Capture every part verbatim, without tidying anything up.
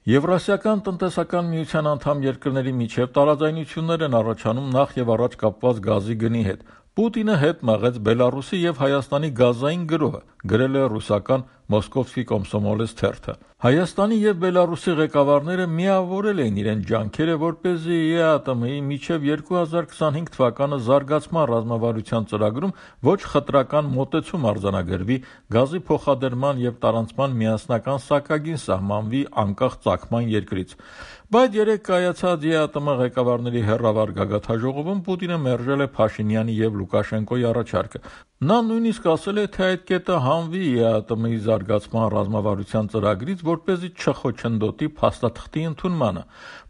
Եվրասիական տնտեսական միության անդամ երկրների միջև տարաձայնություններ են առաջանում նախ եւ առաջ կապված գազի գնի հետ։ Պուտինը հետ մղեց Բելարուսի եւ Հայաստանի գազային գրոհը, գրել է ռուսական «Մոսկովսկի կոմսոմոլец» թերթը։ Հայաստանի եւ Բելարուսի ղեկավարները միավորել էին իրենց ջանքերը, որպեսզի ԵԱՏՄ-ի մինչև երկու հազար քսանհինգ թվականը զարգացման ռազմավարության ծրագրում ոչ խտրական մոտեցում արձանագրվի, գազի փոխադրման եւ տարանցման միասնական սահմագին սահմանվի անկախ ծագման երկրից։ Բայց երեկ կայացած ԵԱՏՄ ղեկավարների հեռավար գագաթնաժողովում Պուտինը մերժել է Փաշինյանի եւ Լուկաշենկոյի առաջարկը։ Նա նույնիսկ ասել է, թե այդ կետը հանվի ԵԱՏՄ-ի զարգացման ռազմավարության ծրագրից, որպեսզի չխոչընդոտի փաստաթղթի ընդունմանը։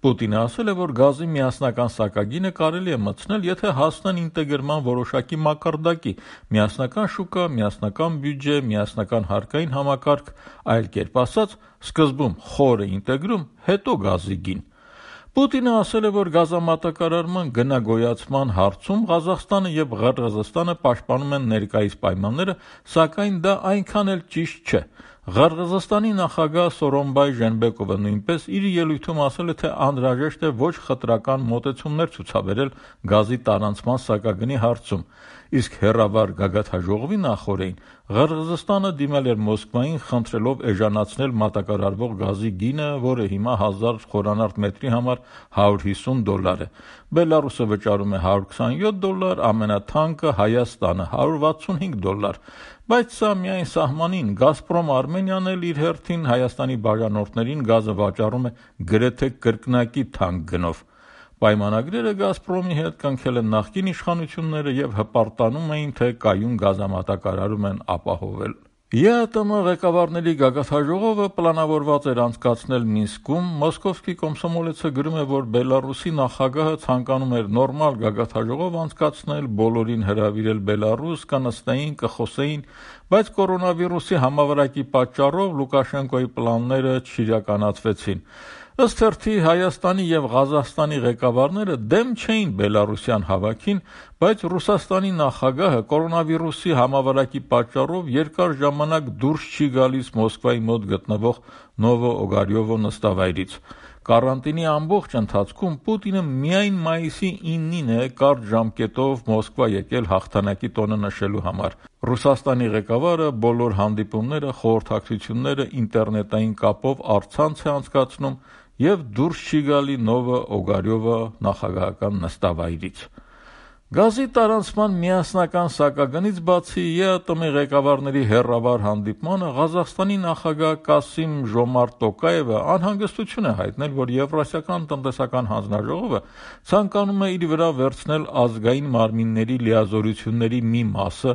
Պուտինը ասել է, որ գազի միասնական սահմագինը կարելի է մտցնել, եթե հասնեն ինտեգրման որոշակի մակարդակի՝ միասնական շուկա, միասնական բյուջե, միասնական հարկային համակարգ, այլ կերպ ասած, սկզբում խորը ինտեգրում, հետո գազի գին։ Պուտինը ասել է, որ գազամատակարարման գնագոյացման հարցում Ղազախստանը եւ Ղրղըզստանը պաշտպանում են ներկայիս պայմանները, սակայն դա այնքան էլ ճիշտ չէ։ Ղրղըզստանի նախագահ Սորոնբայ Ժենբեկովը նույնպես իր ելույթում ասել է, թե անհրաժեշտ է ոչ խտրական մոտեցումներ ցուցաբերել գազի տարանցման սահմագնի հարցում, իսկ հեռավար գագաթնաժողովի նախօրեին Ղրղըզստանը դիմել էր Մոսկվային, խնդրելով էժանացնել մատակարարվող գազի գինը, որը հիմա հազար խորանարդ մետրի համար հարյուր հիսուն դոլար է։ Բելարուսը վճարում է հարյուր քսանյոթ դոլար, ամենաթանկը Հայաստանը հարյուր վաթսունհինգ դոլար։ Բայց սա միայն սահմանին, Գազպրոմ Արմենիան էլ իր հերթին Հայաստանի բաժանորդներին գազը վաճառում է գրեթե կրկնակի թանկ գնով։ Պայմանագրերը Գազպրոմի հետ կնքել են նախկին իշխանությունները եւ հպարտանում էին, թե կայուն գազամատակարարում են ապահովել։ ԵԱՏՄ ղեկավարների գագաթնաժողովը պլանավորված էր անցկացնել Մինսկում։ Մոսկովսկի կոմսոմոլեցը գրում է, որ Բելարուսի նախագահը ցանկանում էր նորմալ գագաթնաժողով անցկացնել, բոլորին հրավիրել Բելարուս, կանստեին, կխոսեին, բայց կորոնավիրուսի համավարակի պատճառով Լուկաշենկոյի պլանները չիրականացվեցին։ Ըստ թերթի Հայաստանի եւ Ղազախստանի ղեկավարները դեմ չէին բելարուսյան հավաքին, բայց Ռուսաստանի նախագահը կորոնավիրուսի համավարակի պատճառով երկար ժամանակ դուրս չի գալիս Մոսկվայի մոտ գտնվող Նովո-Օգարյովո նստավայրից։ Կարանտինի ամբողջ ընթացքում Պուտինը միայն մայիսի իննին է կարճ ժամկետով Մոսկվա եկել հաղթանակի տոնը նշելու համար։ Ռուսաստանի ղեկավարը բոլոր հանդիպումները, խորհրդակցությունները ինտերնետային կապով առցանց է անցկացնում եւ դուրս չի գալի Նովո-Օգարյովո նախագահական նստավայրից։ Գազի տարանցման միասնական սահմագնից բացի ԵԱՏՄ ղեկավարների հեռավար հանդիպմանը Ղազախստանի նախագահ Կասիմ Ժոմարտ Տոկաևը անհանգստություն է հայտնել, որ Եվրասիական տնտեսական հանձնաժողովը ցանկանում է իր վրա վերցնել ազգային մարմինների լիազորությունների մի մասը,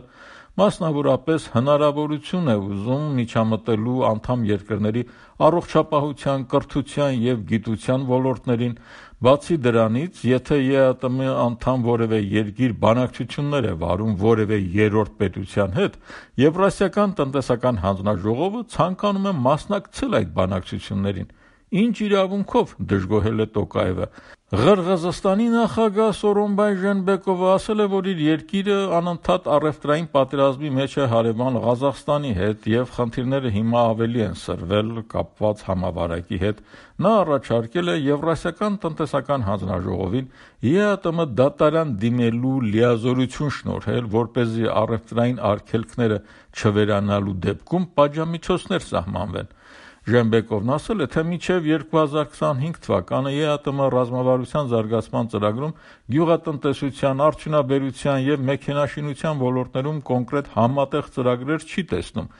մասնավորապես հնարավորություն է ուզում միջամտելու անդամ երկրների առողջապահության, կրթության եւ գիտության ոլորտներին։ Բացի դրանից, եթե ԵԱՏՄ անդամ որևէ երկիր բանակցություններ է վարում որևէ երրորդ պետության հետ, Եվրասիական տնտեսական հանձնաժողովը ցանկանում է մասնակցել այդ բանակցություններին։ Ինչ իրավունքով, դժգոհել է Տոկաևը։ Ղրղըզստանի նախագահ Սորոնբայ Ժենբեկովը ասել է, որ իր երկիրը անընդհատ առևտրային պատերազմի մեջ է հարևան Ղազախստանի հետ եւ խնդիրները հիմա ավելի են սրվել կապված համավարակի հետ։ Նա առաջարկել է Եվրասիական տնտեսական հանձնաժողովին ԵԱՏՄ դատարան դիմելու լիազորություն շնորհել, որպեսզի առևտրային արգելքները չվերանալու դեպքում պատժամիջոցներ սահմանվեն։ Ժենբեկովն ասել է, թե մինչև երկու հազար քսանհինգ թվականը ԵԱՏՄ ռազմավարության զարգացման ծրագրում գյուղատնտեսության, արդյունաբերության եւ մեքենաշինության ոլորտներում կոնկրետ համատեղ ծրագրեր չի տեսնում։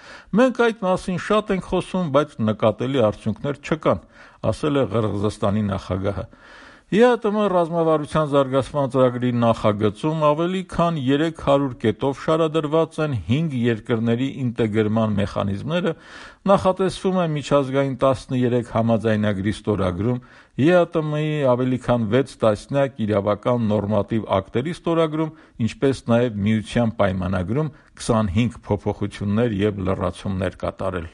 Մենք այդ մասին շատ ենք խոսում, բայց նկատելի արդյունքներ չկան, ասել է Ղրղըզստանի նախագահը։ ԵԱՏՄ ռազմավարության զարգացման ծրագրի նախագծում ավելի քան երեք հարյուր կետով շարադրված են հինգ երկրների ինտեգրման մեխանիզմները, նախատեսվում է միջազգային տասներեք համաձայնագրի ստորագրում, ԵԱՏՄ-ի ավելի քան վեց տասնյակ իրավական նորմատիվ ակտերի ստորագրում, ինչպես նաև Միության պայմանագրում քսանհինգ փոփոխություններ եւ լրացումներ կատարել։